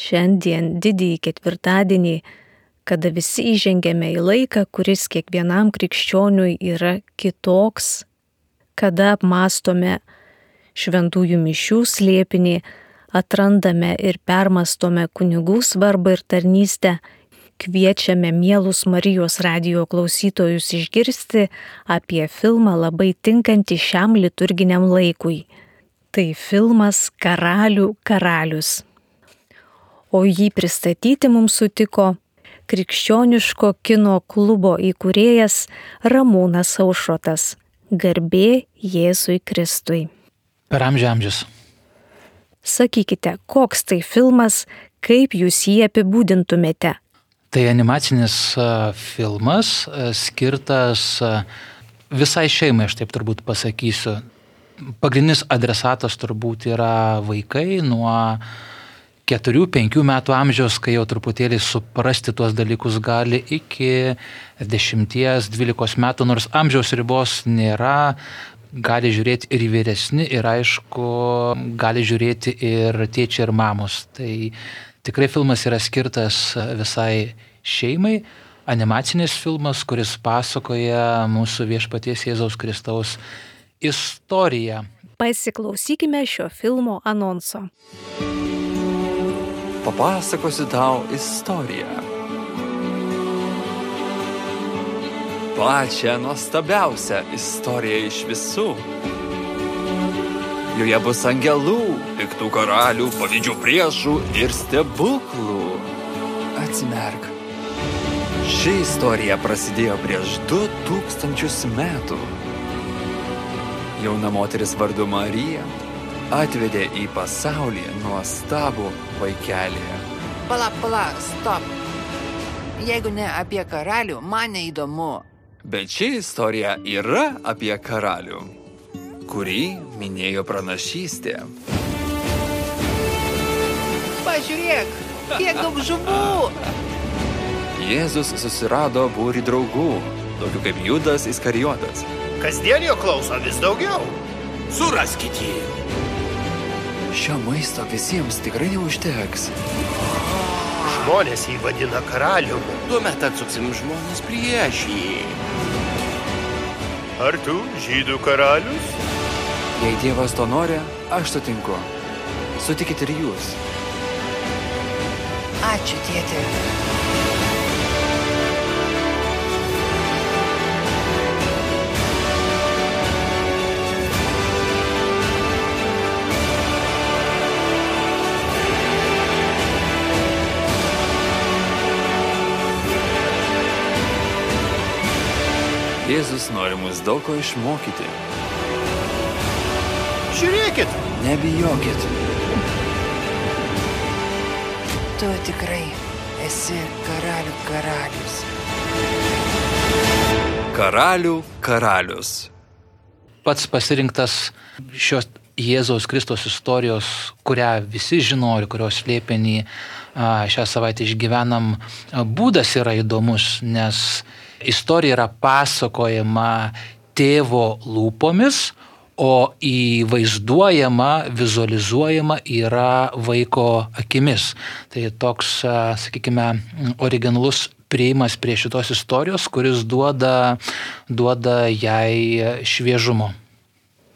Šiandien didįjį ketvirtadienį, kada visi įžengėme į laiką, kuris kiekvienam krikščioniui yra kitoks, kada apmastome šventųjų mišių slėpinį, atrandame ir permastome kunigų svarbą ir tarnystę, kviečiame mielus Marijos radijo klausytojus išgirsti apie filmą labai tinkantį šiam liturginiam laikui. Tai filmas Karalių karalius. O jį pristatyti mums sutiko krikščioniško kino klubo įkūrėjas Ramūnas Aušrotas. Garbė Jėzui Kristui. Per amžius. Sakykite, koks tai filmas, kaip jūs jį apibūdintumėte? Tai animacinis filmas skirtas visai šeimai, aš taip turbūt pasakysiu. Pagrindinis adresatas turbūt yra vaikai nuo 4-5 metų amžiaus, kai jau truputėlį suprasti tuos dalykus gali, iki 10-12 metų, nors amžiaus ribos nėra, gali žiūrėti ir vyresni, ir aišku, gali žiūrėti ir tėčiai, ir mamos. Tai tikrai filmas yra skirtas visai šeimai, animacinis filmas, kuris pasakoja mūsų viešpaties Jėzaus Kristaus istoriją. Pasiklausykime šio filmo anonso. Papasakosiu tau istoriją. Pačią nuostabiausią istoriją iš visų. Joje bus angelų, piktų karalių, pavydžių priešų ir stebuklų. Atsimerk. Ši istorija prasidėjo prieš 2000 metų. Jauna moteris vardu Marija atvedė į pasaulį nuostabų vaikelį. Pala, stop. Jeigu ne apie karalių, man neįdomu. Bet ši istorija yra apie karalių, kurį minėjo pranašystė. Pažiūrėk, kiek daug žuvų. Jėzus susirado būrį draugų, tokių kaip Judas Iskarijotas. Kasdien jo klauso vis daugiau. Suraskit jį. Šio maisto visiems tikrai neužteks. Žmonės jį vadina karaliumi. Tuomet atsuksim žmonės prieš jį. Ar tu žydų karalius? Jei Dievas to nori, aš sutinku. Sutikit ir jūs. Ačiū, tėti. Jėzus nori mus daug ko išmokyti. Žiūrėkit. Nebijokit. Tu tikrai esi karalių karalius. Karalių karalius. Pats pasirinktas šios Jėzaus Kristaus istorijos, kurią visi žino ir kurios slėpinį šią savaitę išgyvenam, būdas yra įdomus, nes istorija yra pasakojama tėvo lūpomis, o įvaizduojama, vizualizuojama yra vaiko akimis. Tai toks, sakykime, originalus priėjimas prie šitos istorijos, kuris duoda jai šviežumo.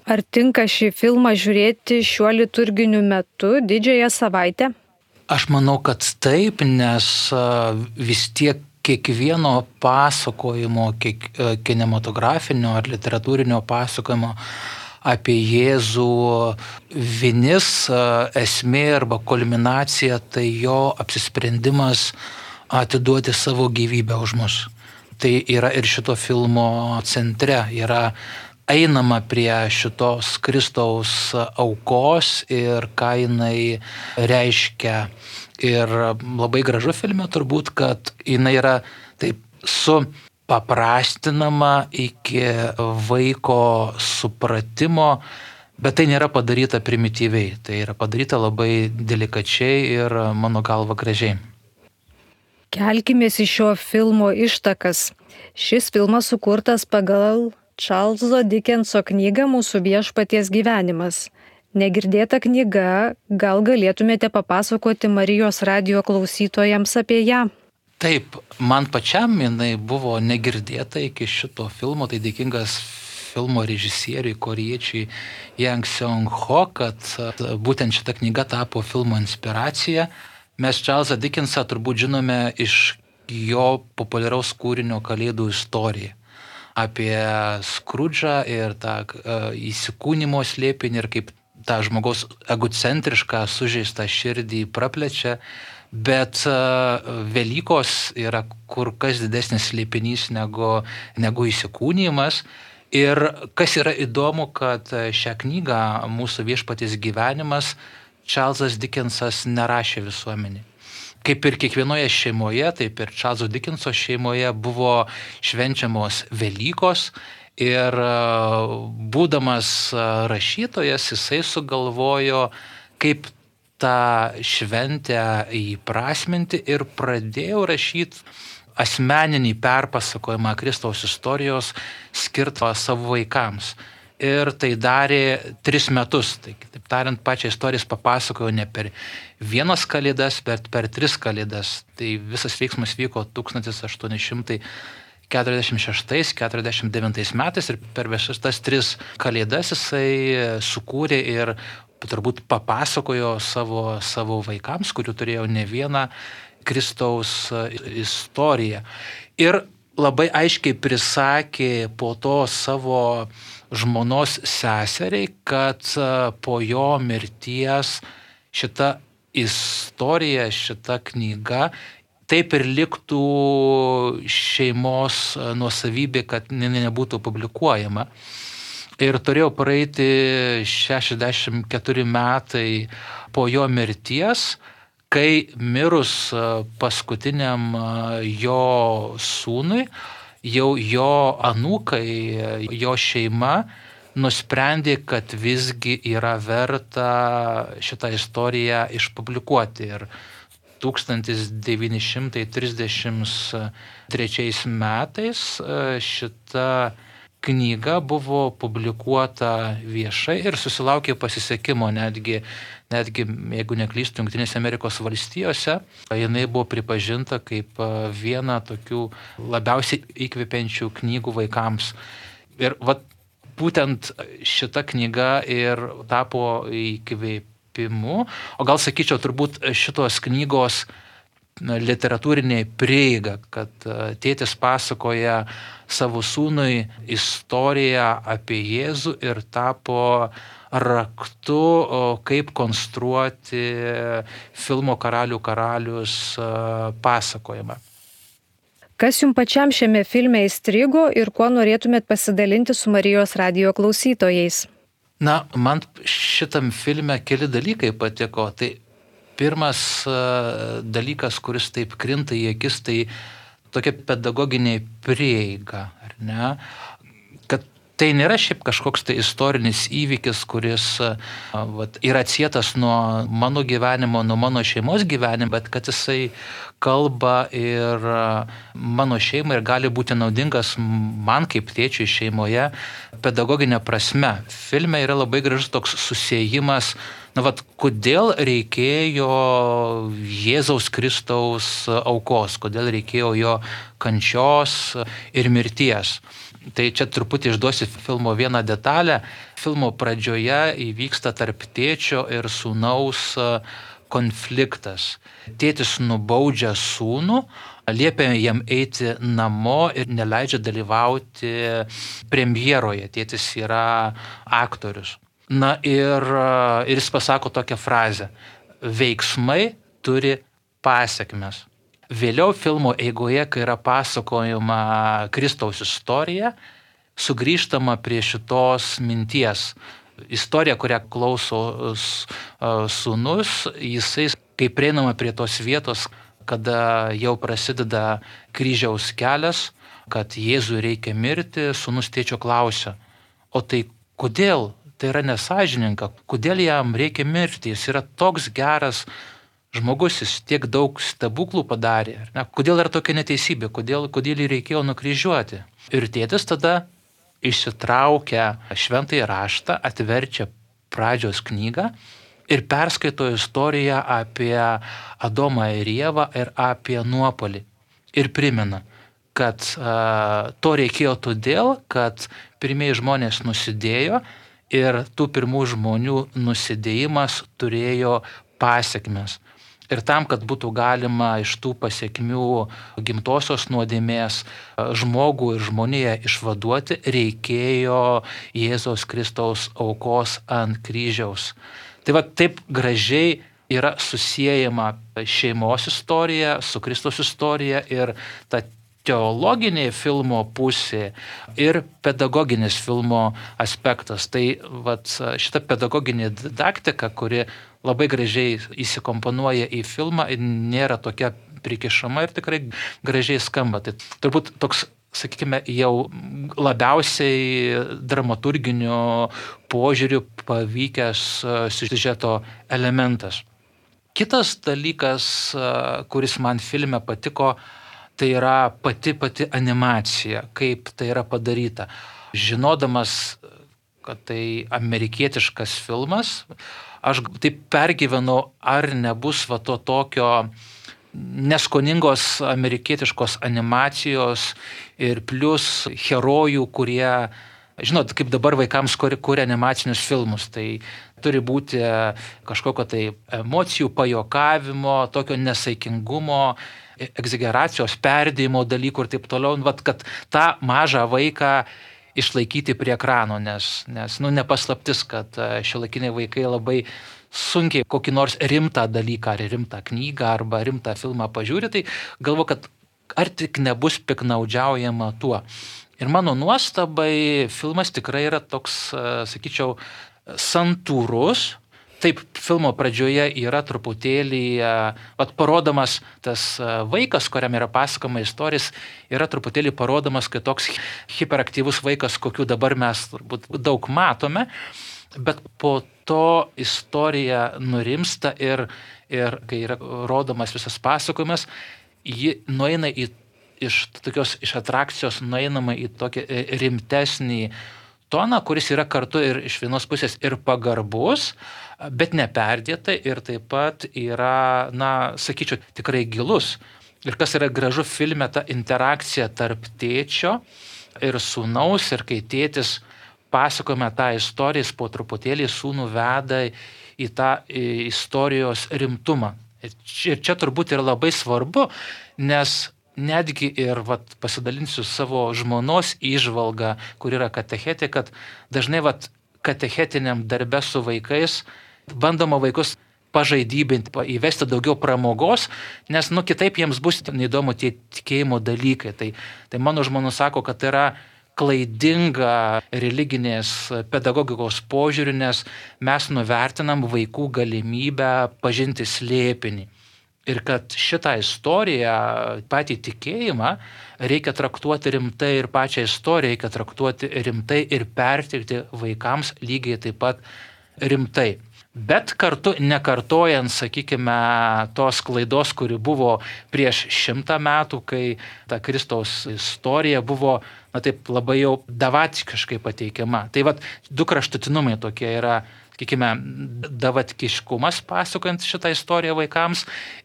Ar tinka šį filmą žiūrėti šiuo liturginiu metu, didžiąją savaitę? Aš manau, kad taip, nes vis tiek kiekvieno pasakojimo, kinematografinio ar literatūrinio pasakojimo apie Jėzų vinis, esmė arba kulminacija, tai jo apsisprendimas atiduoti savo gyvybę už mus. Tai yra ir šito filmo centre, yra einama prie šitos Kristaus aukos ir ką jinai reiškia. Ir labai gražu filme turbūt, kad jinai yra taip supaprastinama iki vaiko supratimo, bet tai nėra padaryta primityviai, tai yra padaryta labai delikačiai ir mano galva gražiai. Kelkimės į šio filmo ištakas. Šis filmas sukurtas pagal Čarlzo Dikenso knygą Mūsų viešpaties gyvenimas. Negirdėta knyga, gal galėtumėte papasakoti Marijos radijo klausytojams apie ją? Taip, man pačiam jinai buvo negirdėta iki šito filmo, tai dėkingas filmo režisieriui korėjiečiui Yang Seong-ho, kad būtent šita knyga tapo filmo inspiracija. Mes Čarlzą Dickensą turbūt žinome iš jo populiaraus kūrinio Kalėdų istorija. Apie Skrudžą ir tą įsikūnimo slėpinį ir kaip tą žmogaus egocentrišką sužeistą širdį praplečia. Bet Velykos yra kur kas didesnis slėpinys negu įsikūnijimas. Ir kas yra įdomu, kad šią knygą Mūsų viešpaties gyvenimas Čarlzas Dickensas nerašė visuomenį. Kaip ir kiekvienoje šeimoje, taip ir Čarlzo Dickenso šeimoje buvo švenčiamos Velykos. Ir būdamas rašytojas, jisai sugalvojo, kaip tą šventę įprasminti ir pradėjau rašyti asmeninį perpasakojimą Kristaus istorijos skirtą savo vaikams. Ir tai darė 3 metus. Tai, kitaip tariant, pačią istoriją papasakojo ne per 1 kalėdas, bet per 3 kalėdas. Tai visas veiksmas vyko 1846-49 metais ir per visas tas 3 kalėdas jisai sukūrė ir turbūt papasakojo savo vaikams, kurių turėjo ne vieną Kristaus istoriją. Ir labai aiškiai prisakė po to savo žmonos seseriai, kad po jo mirties šita istorija, šita knyga taip ir liktų šeimos nuosavybė, kad nebūtų publikuojama. Ir turėjo praeiti 64 metai po jo mirties, kai mirus paskutiniam jo sūnui, jau jo anūkai, jo šeima nusprendė, kad visgi yra verta šitą istoriją išpublikuoti. Ir 1933 metais šita knyga buvo publikuota viešai ir susilaukė pasisekimo netgi jeigu neklystu, Jungtinėse Amerikos valstijose, jinai buvo pripažinta kaip viena tokių labiausiai įkvepiančių knygų vaikams. Ir būtent šita knyga ir tapo įkvėpimu, o gal sakyčiau turbūt šitos knygos literatūrinė prieiga, kad tėtis pasakoja savo sūnui istoriją apie Jėzų ir tapo raktu, kaip konstruoti filmo Karalių karalius pasakojimą. Kas jums pačiam šiame filme įstrigo ir kuo norėtumėt pasidalinti su Marijos radijo klausytojais? Na, man šitam filme keli dalykai patiko. Tai pirmas dalykas, kuris taip krinta į akis, tai tokia pedagoginė prieiga, ar ne? Kad tai nėra šiaip kažkoks tai istorinis įvykis, kuris yra atsietas nuo mano gyvenimo, nuo mano šeimos gyvenimo, bet kad jisai kalba ir mano šeimai ir gali būti naudingas man kaip tėčiui šeimoje pedagoginė prasme. Filme yra labai gražus toks susiejimas, kodėl reikėjo Jėzaus Kristaus aukos, kodėl reikėjo jo kančios ir mirties. Tai čia truputį išduosiu filmo vieną detalę. Filmo pradžioje įvyksta tarp tėčio ir sūnaus konfliktas. Tėtis nubaudžia sūnų, liepia jam eiti namo ir neleidžia dalyvauti premjeroje. Tėtis yra aktorius. Na ir jis pasako tokią frazę: veiksmai turi pasekmes. Vėliau filmo eigoje, kai yra pasakojama Kristaus istorija, sugrįžtama prie šitos minties. Istorija, kurią klauso sūnus, jisai, kai prieinama prie tos vietos, kada jau prasideda kryžiaus kelias, kad Jėzui reikia mirti, sūnus tėčio klausia: o tai kodėl? Tai yra nesąžininga, kodėl jam reikia mirti? Jis yra toks geras žmogus, jis tiek daug stebuklų padarė. Kodėl yra tokia neteisybė? Kodėl jį reikėjo nukryžiuoti? Ir tėtis tada išsitraukia šventąjį raštą, atverčia pradžios knygą ir perskaito istoriją apie Adomą ir Ievą ir apie nuopuolį. Ir primena, kad to reikėjo todėl, kad pirmieji žmonės nusidėjo ir tų pirmų žmonių nusidėjimas turėjo pasekmes. Ir tam, kad būtų galima iš tų pasekmių gimtosios nuodėmės žmogų ir žmoniją išvaduoti, reikėjo Jėzaus Kristaus aukos ant kryžiaus. Tai va taip gražiai yra susiejama šeimos istorija su Kristaus istorija ir ta teologinė filmo pusė ir pedagoginis filmo aspektas. Tai vat, šita pedagoginė didaktika, kuri labai gražiai įsikomponuoja į filmą, nėra tokia prikišama ir tikrai gražiai skamba. Tai turbūt toks, sakykime, jau labiausiai dramaturginiu požiūriu pavykęs siužeto elementas. Kitas dalykas, kuris man filme patiko, tai yra pati animacija, kaip tai yra padaryta. Žinodamas, kad tai amerikietiškas filmas, aš taip pergyvenau, ar nebus va to tokio neskoningos amerikietiškos animacijos ir plus herojų, kurie, žinot, kaip dabar vaikams kuria animacinius filmus, tai turi būti kažkokio tai emocijų pajokavimo, tokio nesaikingumo, egzageracijos, perdėjimo dalykų ir taip toliau, vat, kad tą mažą vaiką išlaikyti prie ekrano, nes nepaslaptis, kad šiuolaikiniai vaikai labai sunkiai kokį nors rimtą dalyką, ar rimtą knygą, arba rimtą filmą pažiūri, tai galvoju, kad ar tik nebus piknaudžiaujama tuo. Ir mano nuostabai filmas tikrai yra toks, sakyčiau, santūrus. Taip, filmo pradžioje yra truputėlį, parodomas tas vaikas, kuriam yra pasakoma istorijas, yra truputėlį parodomas kaip toks hiperaktyvus vaikas, kokių dabar mes turbūt daug matome, bet po to istorija nurimsta ir kai yra rodomas visas pasakojimas, ji nueina iš atrakcijos nueinama į tokį rimtesnį toną, kuris yra kartu ir iš vienos pusės ir pagarbus, bet neperdėtai ir taip pat yra, sakyčiau, tikrai gilus. Ir kas yra gražu filme, ta interakcija tarp tėčio ir sūnaus, ir kai tėtis pasakojame tą istoriją, jis po truputėlį sūnų veda į tą istorijos rimtumą. Ir čia turbūt yra labai svarbu, nes netgi ir pasidalinsiu savo žmonos įžvalgą, kur yra katechetė, kad dažnai katechetiniam darbe su vaikais bandoma vaikus pažaidybinti, įvesti daugiau pramogos, nes kitaip jiems bus neįdomu tie tikėjimo dalykai. Tai mano žmona sako, kad tai yra klaidinga religinės pedagogikos požiūriu, nes mes nuvertinam vaikų galimybę pažinti slėpinį. Ir kad šitą istoriją, patį tikėjimą, reikia traktuoti rimtai ir pačią istoriją reikia traktuoti rimtai ir perteikti vaikams lygiai taip pat rimtai. Bet kartu nekartojant, sakykime, tos klaidos, kuri buvo prieš 100 metų, kai ta Kristaus istorija buvo, taip labai jau davatkiškai pateikiama. Tai du kraštutinumai tokie yra, sakykime, davatkiškumas pasakojant šitą istoriją vaikams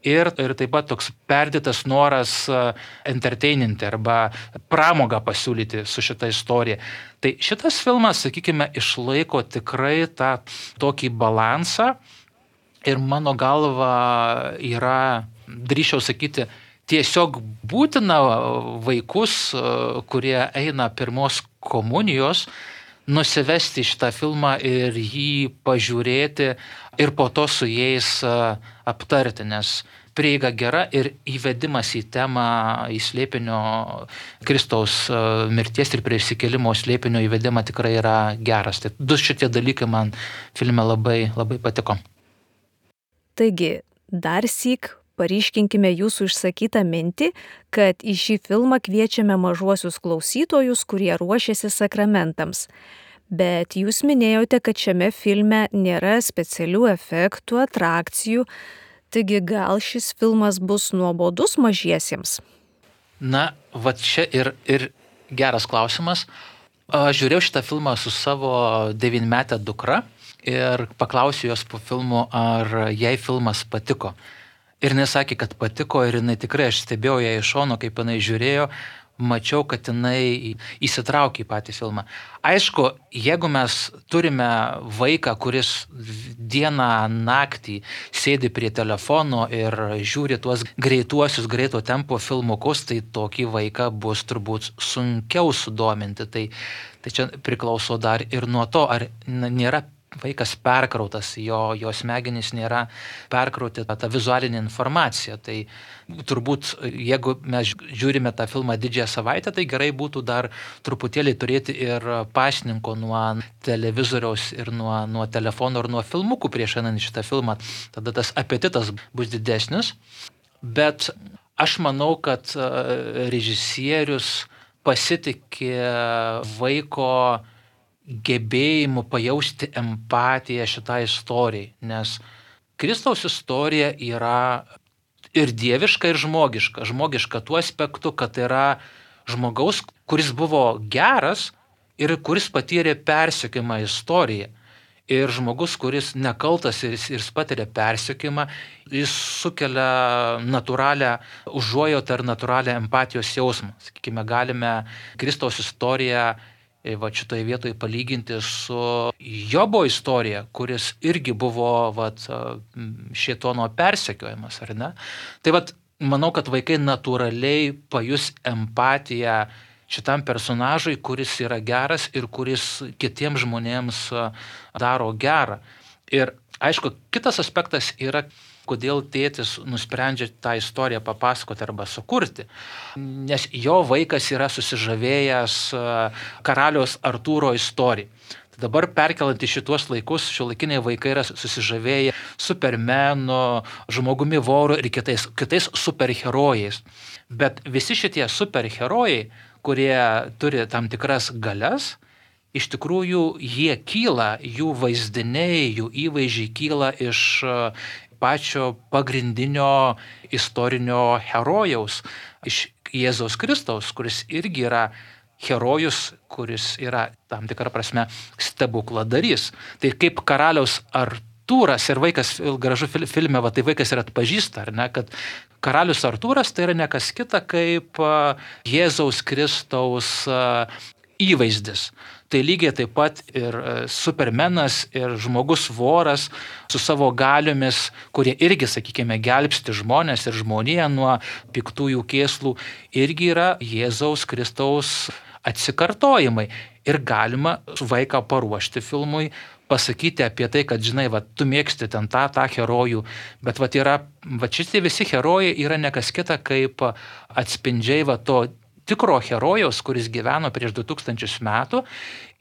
ir taip pat toks perdėtas noras entertaininti arba pramogą pasiūlyti su šitą istoriją. Tai šitas filmas, sakykime, išlaiko tikrai tą tokį balansą ir mano galva yra, drįsčiau sakyti, tiesiog būtina vaikus, kurie eina pirmos komunijos, nusivesti šitą filmą ir jį pažiūrėti ir po to su jais aptarti, nes prieiga gera ir įvedimas į temą, į slėpinio Kristaus mirties ir prisikėlimo slėpinio įvedimą tikrai yra geras. Tai du šitie dalykai man filme labai, labai patiko. Taigi, dar syk paryškinkime jūsų išsakytą mintį, kad į šį filmą kviečiame mažuosius klausytojus, kurie ruošiasi sakramentams. Bet jūs minėjote, kad šiame filme nėra specialių efektų, atrakcijų, taigi gal šis filmas bus nuobodus mažiesiems? Čia ir geras klausimas. Žiūrėjau šitą filmą su savo 9-metė dukra ir paklausiau jos po filmo, ar jai filmas patiko. Ir jinai sakė, kad patiko ir jinai tikrai, aš stebėjau ją iš šono, kaip jinai žiūrėjo, mačiau, kad jinai įsitraukė į patį filmą. Aišku, jeigu mes turime vaiką, kuris dieną, naktį sėdi prie telefono ir žiūri tuos greituosius, greito tempo filmukus, tai tokį vaiką bus turbūt sunkiau sudominti. Tai čia priklauso dar ir nuo to, ar nėra vaikas perkrautas, jo smegenys nėra perkrauti tą vizualinę informaciją. Tai turbūt, jeigu mes žiūrime tą filmą Didžiąją savaitę, tai gerai būtų dar truputėlį turėti ir pašninko nuo televizoriaus ir nuo telefono ir nuo filmukų prieš einant šitą filmą. Tada tas apetitas bus didesnis. Bet aš manau, kad režisierius pasitikė vaiko gebėjimu pajausti empatiją šitai istorijai, nes Kristaus istorija yra ir dieviška, ir žmogiška. Žmogiška tuo aspektu, kad yra žmogaus, kuris buvo geras ir kuris patyrė persekiojimą istoriją. Ir žmogus, kuris nekaltas ir jis patiria persekiojimą, jis sukelia natūralią užuojautą ir natūralią empatijos jausmą. Sakykime, galime Kristaus istoriją šitoje vietoje palyginti su Jobo istorija, kuris irgi buvo šėtono persekiojimas, ar ne? Tai manau, kad vaikai natūraliai pajus empatiją šitam personažui, kuris yra geras ir kuris kitiems žmonėms daro gerą. Ir aišku, kitas aspektas yra, kodėl tėtis nusprendžia tą istoriją papasakoti arba sukurti. Nes jo vaikas yra susižavėjęs karaliaus Artūro istoriją. Tai dabar perkelant į šitos laikus, šiuolaikiniai vaikai yra susižavėję Supermanu, žmogumi voru ir kitais superherojais. Bet visi šitie superherojai, kurie turi tam tikras galias, iš tikrųjų jie kyla, jų vaizdiniai, jų įvaizdžiai kyla iš pačio pagrindinio istorinio herojaus, iš Jėzaus Kristaus, kuris irgi yra herojus, kuris yra tam tikrą prasme stebukladarys. Tai kaip karaliaus Artūras ir vaikas, gražu filme, tai vaikas ir atpažįsta, ar ne, kad karalius Artūras tai yra ne kas kita kaip Jėzaus Kristaus įvaizdis. Tai lygiai taip pat ir Supermenas, ir žmogus voras su savo galiomis, kurie irgi, sakykime, gelbsti žmonės ir žmoniją nuo piktųjų kėslų, irgi yra Jėzaus Kristaus atsikartojimai. Ir galima vaiką paruošti filmui, pasakyti apie tai, kad, žinai, tu mėgsti ten tą herojų, bet šitie visi herojai yra ne kas kita kaip atspindžiai to tikro herojaus, kuris gyveno prieš 2000 metų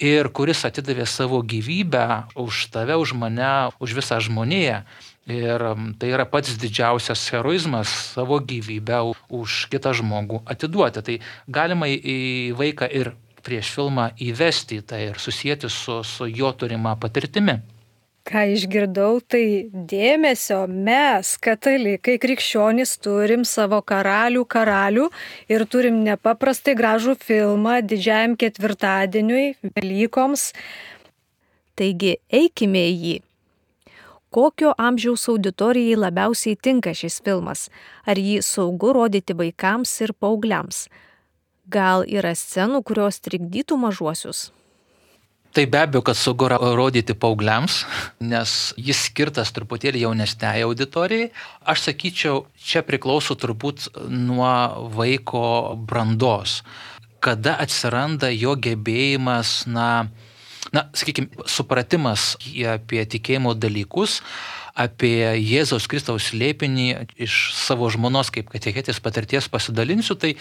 ir kuris atidavė savo gyvybę už tave, už mane, už visą žmoniją. Ir tai yra pats didžiausias heroizmas savo gyvybę už kitą žmogų atiduoti. Tai galima į vaiką ir prieš filmą įvesti tai ir susijęti su jo turima patirtimi. Ką išgirdau, tai dėmesio mes, katalikai, krikščionys, turim savo karalių ir turim nepaprastai gražų filmą Didžiajam ketvirtadieniui, Velykoms. Taigi, eikime į jį. Kokio amžiaus auditorijai labiausiai tinka šis filmas? Ar jį saugu rodyti vaikams ir paaugliams? Gal yra scenų, kurios trikdytų mažuosius? Tai be abejo, kad saugu rodyti paaugliams, nes jis skirtas truputėlį jaunesniai auditorijai. Aš sakyčiau, čia priklauso turbūt nuo vaiko brandos. Kada atsiranda jo gebėjimas, sakykime, supratimas apie tikėjimo dalykus, apie Jėzaus Kristaus slėpinį iš savo žmonos kaip katechetės patirties pasidalinsiu, tai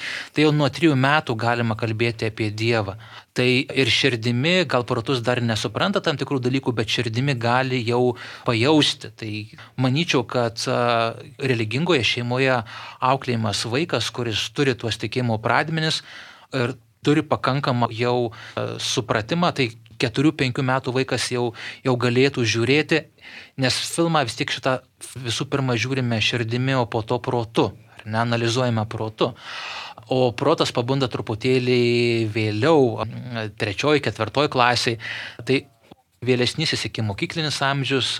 jau nuo 3 metų galima kalbėti apie Dievą. Tai ir širdimi, gal protus dar nesupranta tam tikrų dalykų, bet širdimi gali jau pajausti. Tai manyčiau, kad religingoje šeimoje auklėjimas vaikas, kuris turi tuos tikėjimo pradmenis ir turi pakankamą jau supratimą, tai 4-5 metų vaikas jau galėtų žiūrėti, nes filmą vis tiek šitą visų pirma žiūrime širdimi, o po to protu, ar ne, analizuojame protu. O protas pabunda truputėlį vėliau, 3-4 klasiai. Tai vėlesnysis iki mokyklinis amžius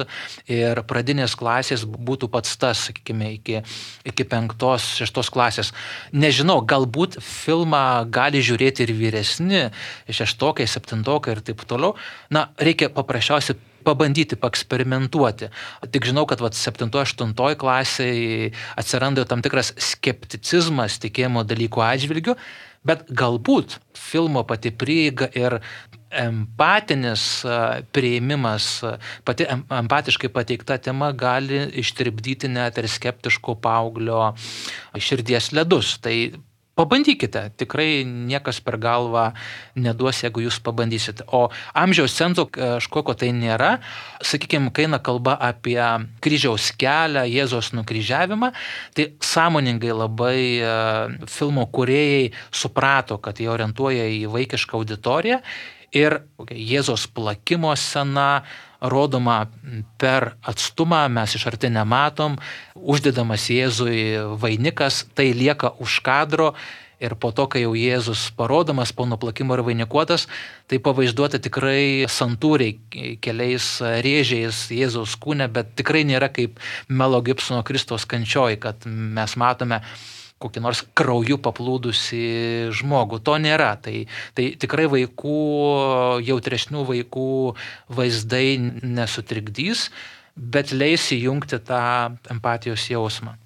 ir pradinės klasės būtų pats tas, sakykime, iki 5-6 klasės. Nežinau, galbūt filmą gali žiūrėti ir vyresni, 6-okai, 7-okai ir taip toliau. Na, reikia paprasčiausiai pabandyti, paeksperimentuoti. Tik žinau, kad 7-8 klasėje atsiranda tam tikras skepticizmas tikėjimo dalykų atžvilgių, bet galbūt filmo pati prieiga ir empatinis priėmimas, pati empatiškai pateikta tema gali ištirpdyti net ir skeptiško paauglio širdies ledus. Tai pabandykite, tikrai niekas per galvą neduos, jeigu jūs pabandysite. O amžiaus cenzo kažkokio tai nėra. Sakykime, kai eina kalba apie kryžiaus kelią, Jėzaus nukryžiavimą, tai sąmoningai labai filmo kūrėjai suprato, kad jie orientuoja į vaikišką auditoriją ir Jėzaus plakimo scena rodoma per atstumą, mes iš arti nematom, uždedamas Jėzui vainikas, tai lieka už kadro ir po to, kai jau Jėzus parodomas po nuplakimo ir vainikuotas, tai pavaizduota tikrai santūriai keliais rėžiais Jėzaus kūne, bet tikrai nėra kaip Melo Gibsono Kristaus kančioj, kad mes matome kokį nors krauju paplūdusi žmogų. To nėra. Tai tikrai vaikų, jautresnių vaikų vaizdai nesutrikdys, bet leis įjungti tą empatijos jausmą.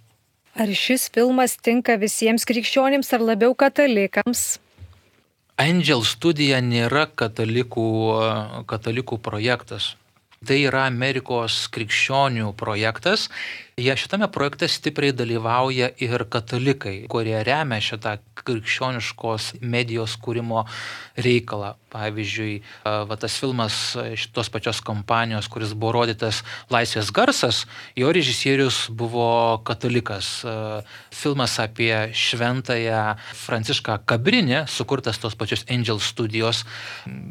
Ar šis filmas tinka visiems krikščionims ar labiau katalikams? Angel Studija nėra katalikų projektas. Tai yra Amerikos krikščionių projektas. Jie šitame projekte stipriai dalyvauja ir katalikai, kurie remia šitą krikščioniškos medijos kūrimo reikalą. Pavyzdžiui, tas filmas šitos pačios kompanijos, kuris buvo rodytas Laisvės garsas, jo režisierius buvo katalikas. Filmas apie šventąją Francišką Kabrinį, sukurtas tos pačios Angel Studijos,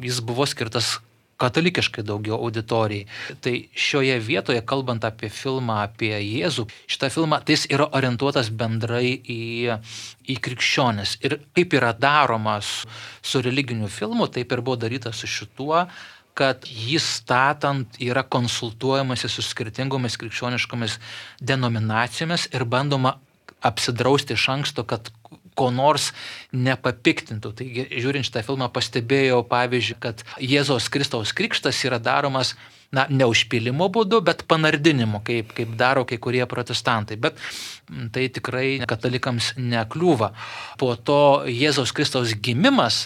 jis buvo skirtas katalikiškai daugiau auditorijai. Tai šioje vietoje, kalbant apie filmą apie Jėzų, šitą filmą, tai jis yra orientuotas bendrai į krikščionis. Ir kaip yra daromas su religiniu filmu, taip ir buvo daryta su šituo, kad jį statant yra konsultuojamasi su skirtingomis krikščioniškomis denominacijomis ir bandoma apsidrausti iš anksto, kad ko nors nepapiktintų. Taigi, žiūrint šitą filmą, pastebėjau, pavyzdžiui, kad Jėzaus Kristaus krikštas yra daromas ne užpylimo būdu, bet panardinimu, kaip daro kai kurie protestantai. Bet tai tikrai katalikams nekliūva. Po to Jėzaus Kristaus gimimas,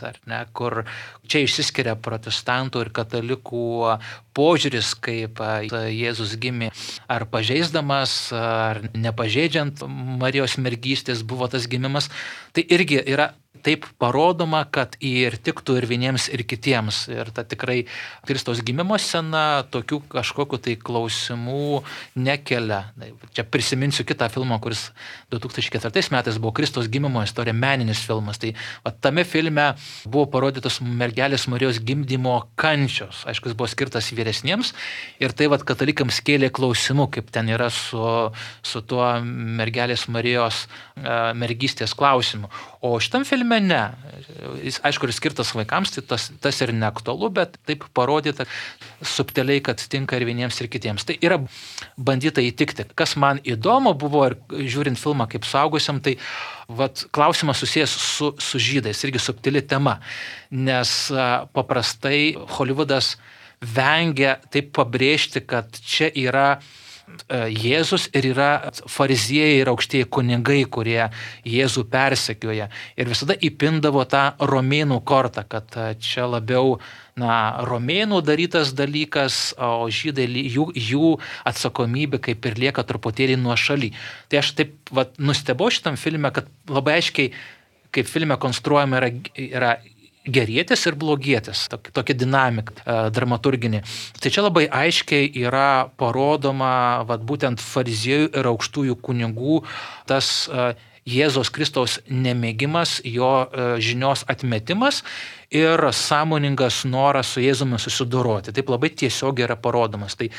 kur čia išsiskiria protestantų ir katalikų požiūris, kaip Jėzus gimė, ar pažeisdamas, ar nepažeidžiant Marijos mergystės buvo tas gimimas, tai irgi yra taip parodoma, kad ir tiktų ir vieniems, ir kitiems. Ir ta tikrai Kristaus gimimo scena tokių kažkokių tai klausimų nekelia. Čia prisiminsiu kitą filmą, kuris 2004 metais buvo Kristaus gimimo istorija, meninis filmas. Tai tame filme buvo parodytos mergelės Marijos gimdymo kančios. Aišku, jis buvo skirtas vyresniems ir tai katalikams kėlė klausimų, kaip ten yra su tuo mergelės Marijos mergystės klausimu. O šitam filme ne. Jis, aišku, ir skirtas vaikams, tai tas ir neaktualu, bet taip parodyta subtiliai, kad tinka ir vieniems, ir kitiems. Tai yra bandyta įtikti. Kas man įdomu buvo, ir žiūrint filmą kaip suaugusiam, tai klausimas susijęs su žydais, irgi subtili tema. Nes paprastai Hollywoodas vengia taip pabrėžti, kad čia yra Jėzus ir yra fariziejai ir aukštieji kunigai, kurie Jėzų persekioja. Ir visada įpindavo tą romėnų kortą, kad čia labiau romėnų darytas dalykas, o žydai jų atsakomybė kaip ir lieka truputėlį nuošaly. Tai aš taip nustebau šitam filme, kad labai aiškiai, kaip filme konstruojama yra gerietis ir blogietis, tokia dinamika dramaturginė. Tai čia labai aiškiai yra parodoma būtent fariziejų ir aukštųjų kunigų tas Jėzaus Kristaus nemėgimas, jo žinios atmetimas ir sąmoningas noras su Jėzumi susidoroti. Taip labai tiesiog yra parodomas. Tai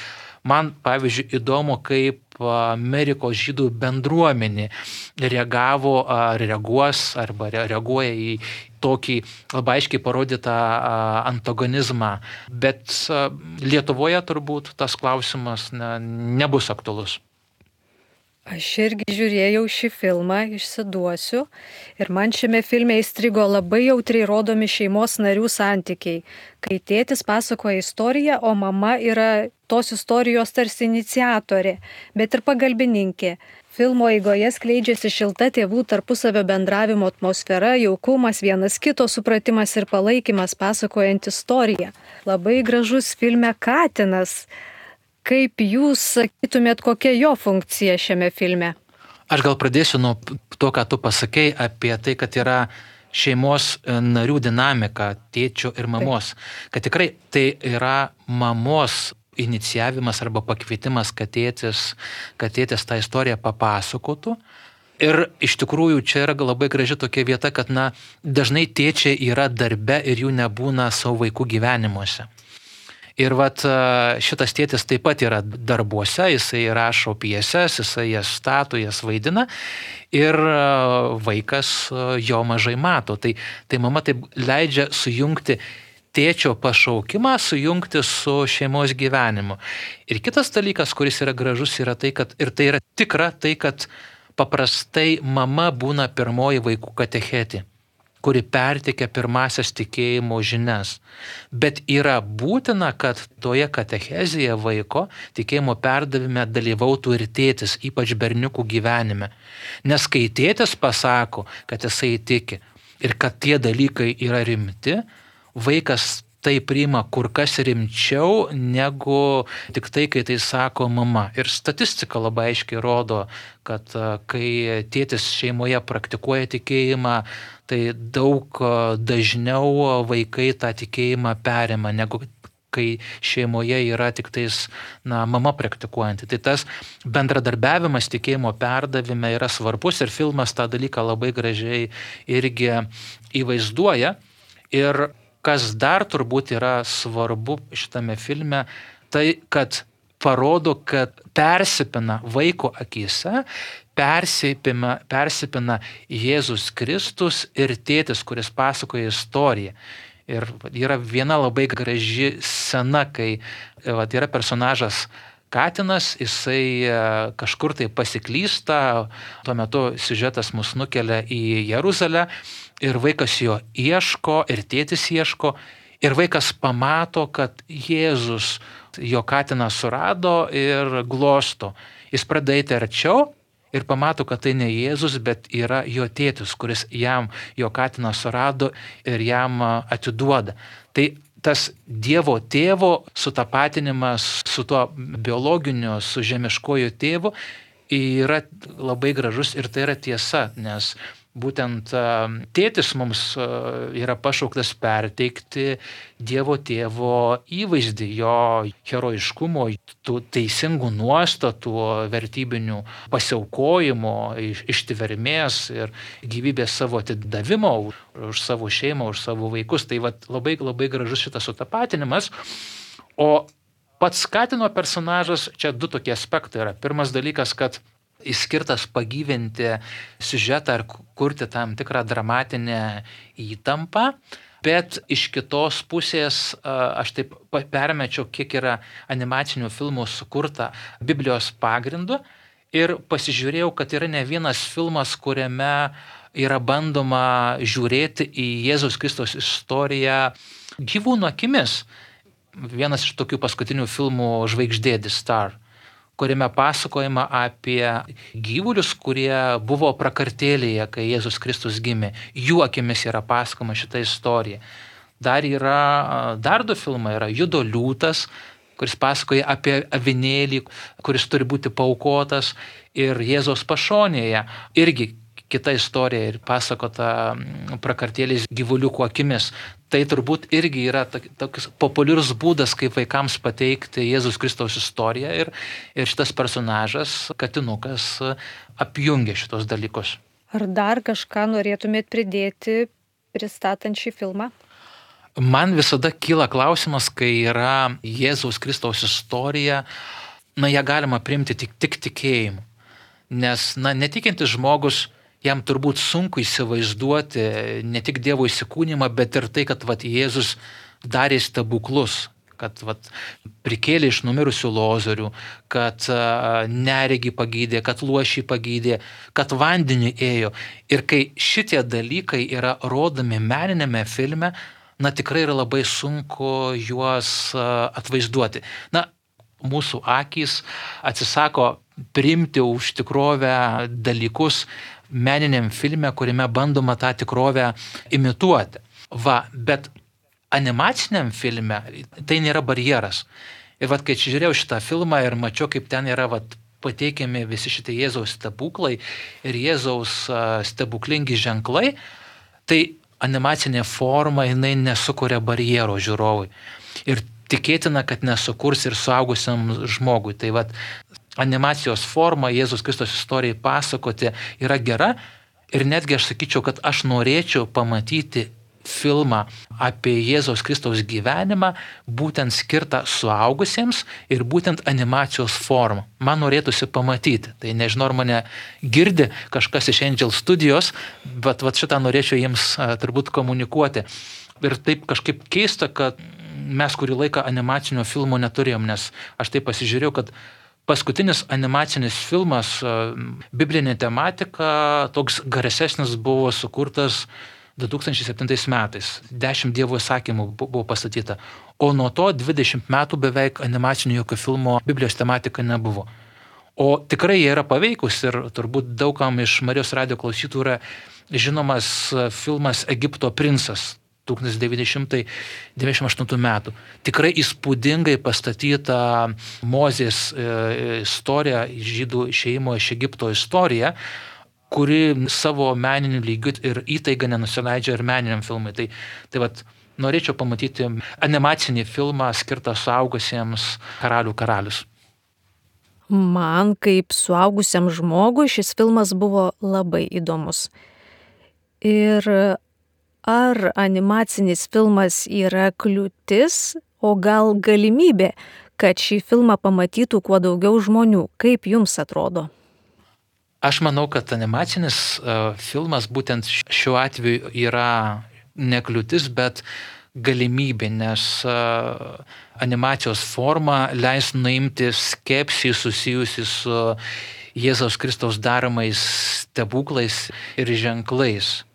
Man, pavyzdžiui, įdomu, kaip Amerikos žydų bendruomenė reagavo, ar reaguos, arba reaguoja į tokį labai aiškiai parodytą antagonizmą. Bet Lietuvoje turbūt tas klausimas nebus aktualus. Aš irgi žiūrėjau šį filmą, išsiduosiu, ir man šiame filme įstrigo labai jautriai rodomi šeimos narių santykiai, kai tėtis pasakoja istoriją, o mama yra tos istorijos tarsi iniciatorė, bet ir pagalbininkė. Filmo eigoje skleidžiasi šilta tėvų tarpusavio bendravimo atmosfera, jaukumas, vienas kito supratimas ir palaikymas pasakojant istoriją. Labai gražus filme katinas. Kaip jūs sakytumėt, kokia jo funkcija šiame filme? Aš gal pradėsiu nuo to, ką tu pasakei apie tai, kad yra šeimos narių dinamika, tėčio ir mamos. Kad tikrai tai yra mamos inicijavimas arba pakvietimas, kad tėtis tą istoriją papasakotų. Ir iš tikrųjų čia yra labai graži tokia vieta, kad dažnai tėčiai yra darbe ir jų nebūna savo vaikų gyvenimuose. Ir šitas tėtis taip pat yra darbuose, jisai rašo pjeses, jisai jas stato, jas vaidina ir vaikas jo mažai mato. Tai mama taip leidžia sujungti tėčio pašaukimą, sujungti su šeimos gyvenimu. Ir kitas dalykas, kuris yra gražus, yra tai, kad, ir tai yra tikra, tai kad paprastai mama būna pirmoji vaikų katechetė, kuri perteikia pirmasias tikėjimo žinias. Bet yra būtina, kad toje katechezėje vaiko tikėjimo perdavime dalyvautų ir tėtis, ypač berniukų gyvenime. Nes kai tėtis pasako, kad jisai tiki ir kad tie dalykai yra rimti, vaikas tai priima kur kas rimčiau negu tik tai, kai tai sako mama. Ir statistika labai aiškiai rodo, kad kai tėtis šeimoje praktikuoja tikėjimą, tai daug dažniau vaikai tą tikėjimą perima, negu kai šeimoje yra tik tais mama praktikuojanti. Tai tas bendradarbiavimas tikėjimo perdavime yra svarbus ir filmas tą dalyką labai gražiai irgi įvaizduoja. Ir kas dar turbūt yra svarbu šitame filme, tai kad parodo, kad persipina vaiko akise, persipina Jėzus Kristus ir tėtis, kuris pasakoja istoriją. Ir yra viena labai graži scena, kai yra personažas katinas, jisai kažkur tai pasiklysta, tuo metu siužetas mus nukelia į Jeruzalę ir vaikas jo ieško ir tėtis ieško ir vaikas pamato, kad Jėzus jo katiną surado ir glosto. Jis pradeda eiti arčiau ir pamato, kad tai ne Jėzus, bet yra jo tėtis, kuris jam jo katiną surado ir jam atiduoda. Tai tas Dievo tėvo sutapatinimas su tuo biologiniu, su žemiškoju tėvu yra labai gražus ir tai yra tiesa, nes būtent tėtis mums yra pašauktas perteikti Dievo tėvo įvaizdį, jo herojiškumo, tų teisingų nuostatų, vertybinių pasiaukojimo, ištvermės ir gyvybės savo atidavimo už savo šeimą, už savo vaikus. Tai labai, labai gražus šitas sutapatinimas. O pats katino personažas, čia du tokie aspektai yra. Pirmas dalykas, kad jis skirtas pagyvinti siužetą ar kurti tam tikrą dramatinę įtampą, bet iš kitos pusės aš taip permečiau, kiek yra animacinių filmų sukurta Biblijos pagrindu ir pasižiūrėjau, kad yra ne vienas filmas, kuriame yra bandoma žiūrėti į Jėzaus Kristaus istoriją gyvūnų akimis. Vienas iš tokių paskutinių filmų Žvaigždė, The Star, kuriame pasakojama apie gyvulius, kurie buvo prakartėlėje, kai Jėzus Kristus gimė. Jų akimis yra pasakoma šita istorija. Dar du filmai yra Judo liūtas, kuris pasakoja apie avinėlį, kuris turi būti paaukotas, ir Jėzaus pašonėje irgi kita istorija ir pasakota prakartėlės gyvuliukų akimis. Tai turbūt irgi yra toks populiarus būdas, kaip vaikams pateikti Jėzus Kristaus istoriją ir šitas personažas, katinukas, apjungia šitos dalykus. Ar dar kažką norėtumėt pridėti pristatant šį filmą? Man visada kyla klausimas, kai yra Jėzaus Kristaus istorija, ją galima priimti tik tikėjimu. Nes, netikintis žmogus, jam turbūt sunku įsivaizduoti ne tik Dievo įsikūnymą, bet ir tai, kad Jėzus darė stebuklus, kad prikėlė iš numirusių Lozorių, kad neregį pagydė, kad luošį pagydė, kad vandenį ėjo. Ir kai šitie dalykai yra rodomi meninėme filme, tikrai yra labai sunku juos atvaizduoti. Mūsų akys atsisako priimti už tikrovę dalykus meniniam filme, kuriame bandoma tą tikrovę imituoti. Bet animaciniam filme tai nėra barjeras. Ir kai žiūrėjau šitą filmą ir mačiau, kaip ten yra pateikiami visi šitie Jėzaus stebuklai ir Jėzaus stebuklingi ženklai, tai animacinė forma jinai nesukuria barjero žiūrovui. Ir tikėtina, kad nesukurs ir suaugusiam žmogui. Tai animacijos forma Jėzus Kristus istorijai pasakoti yra gera ir netgi aš sakyčiau, kad aš norėčiau pamatyti filmą apie Jėzaus Kristaus gyvenimą, būtent skirtą suaugusiems ir būtent animacijos formą. Man norėtųsi pamatyti. Tai nežinau, ar mane girdi kažkas iš Angel Studijos, bet šitą norėčiau jiems turbūt komunikuoti. Ir taip kažkaip keista, kad mes kurį laiką animacinio filmo neturėjom, nes aš taip pasižiūrėjau, kad paskutinis animacinis filmas, biblinė tematika, toks garsesnis buvo sukurtas 2007 metais. 10 Dievo įsakymų buvo pastatyta. O nuo to 20 metų beveik animacinio jokio filmo Biblijos tematika nebuvo. O tikrai jie yra paveikus ir turbūt daugam iš Marijos radijo klausytojų yra žinomas filmas Egipto princas 1998 metų. Tikrai įspūdingai pastatyta Mozės istorija, žydų išėjimo iš Egipto istorija, kuri savo meniniu lygiu ir įtaiga nenusileidžia ir meniniam filmui. Tai norėčiau pamatyti animacinį filmą skirtą suaugusiems Karalių karalius. Man kaip suaugusiam žmogui šis filmas buvo labai įdomus. Ir ar animacinis filmas yra kliūtis, o gal galimybė, kad šį filmą pamatytų kuo daugiau žmonių? Kaip jums atrodo? Aš manau, kad animacinis filmas būtent šiuo atveju yra ne kliūtis, bet galimybė, nes animacijos forma leis nuimti skepsį susijusi su Jėzaus Kristaus daromais stebuklais ir ženklais.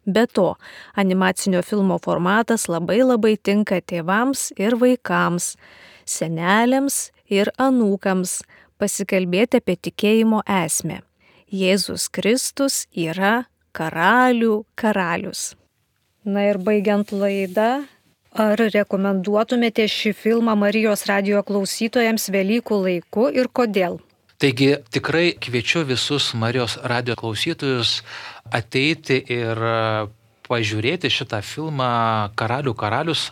Be to, animacinio filmo formatas labai tinka tėvams ir vaikams, seneliams ir anūkams pasikalbėti apie tikėjimo esmę. Jėzus Kristus yra karalių karalius. Na ir baigiant laidą, ar rekomenduotumėte šį filmą Marijos radijo klausytojams Velykų laiku ir kodėl? Taigi tikrai kviečiu visus Marijos radijo klausytojus ateiti ir pažiūrėti šitą filmą Karalių karalius,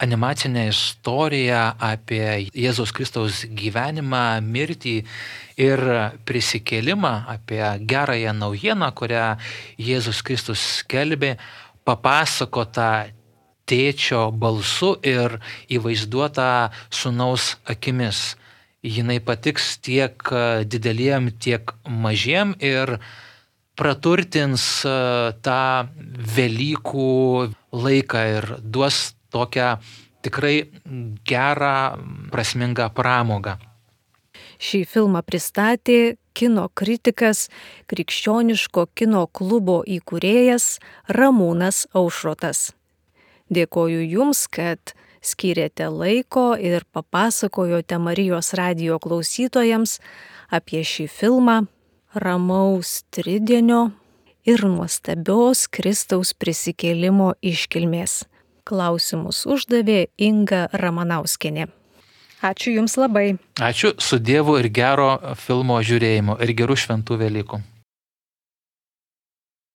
animacinę istoriją apie Jėzaus Kristaus gyvenimą, mirtį ir prisikėlimą, apie gerąją naujieną, kurią Jėzus Kristus skelbė, papasakota tėčio balsu ir įvaizduota sūnaus akimis. Jinai patiks tiek dideliem, tiek mažiem ir praturtins tą Velykų laiką ir duos tokią tikrai gerą, prasmingą pramogą. Šį filmą pristatė kino kritikas, Krikščioniško kino klubo įkūrėjas Ramūnas Aušrotas. Dėkoju Jums, kad skyrėte laiko ir papasakojote Marijos radijo klausytojams apie šį filmą, ramaus tridienio ir nuostabios Kristaus prisikėlimo iškilmės. Klausimus uždavė Inga Ramanauskienė. Ačiū Jums labai. Ačiū, su Dievu ir gero filmo žiūrėjimo ir gerų šventų Velykų.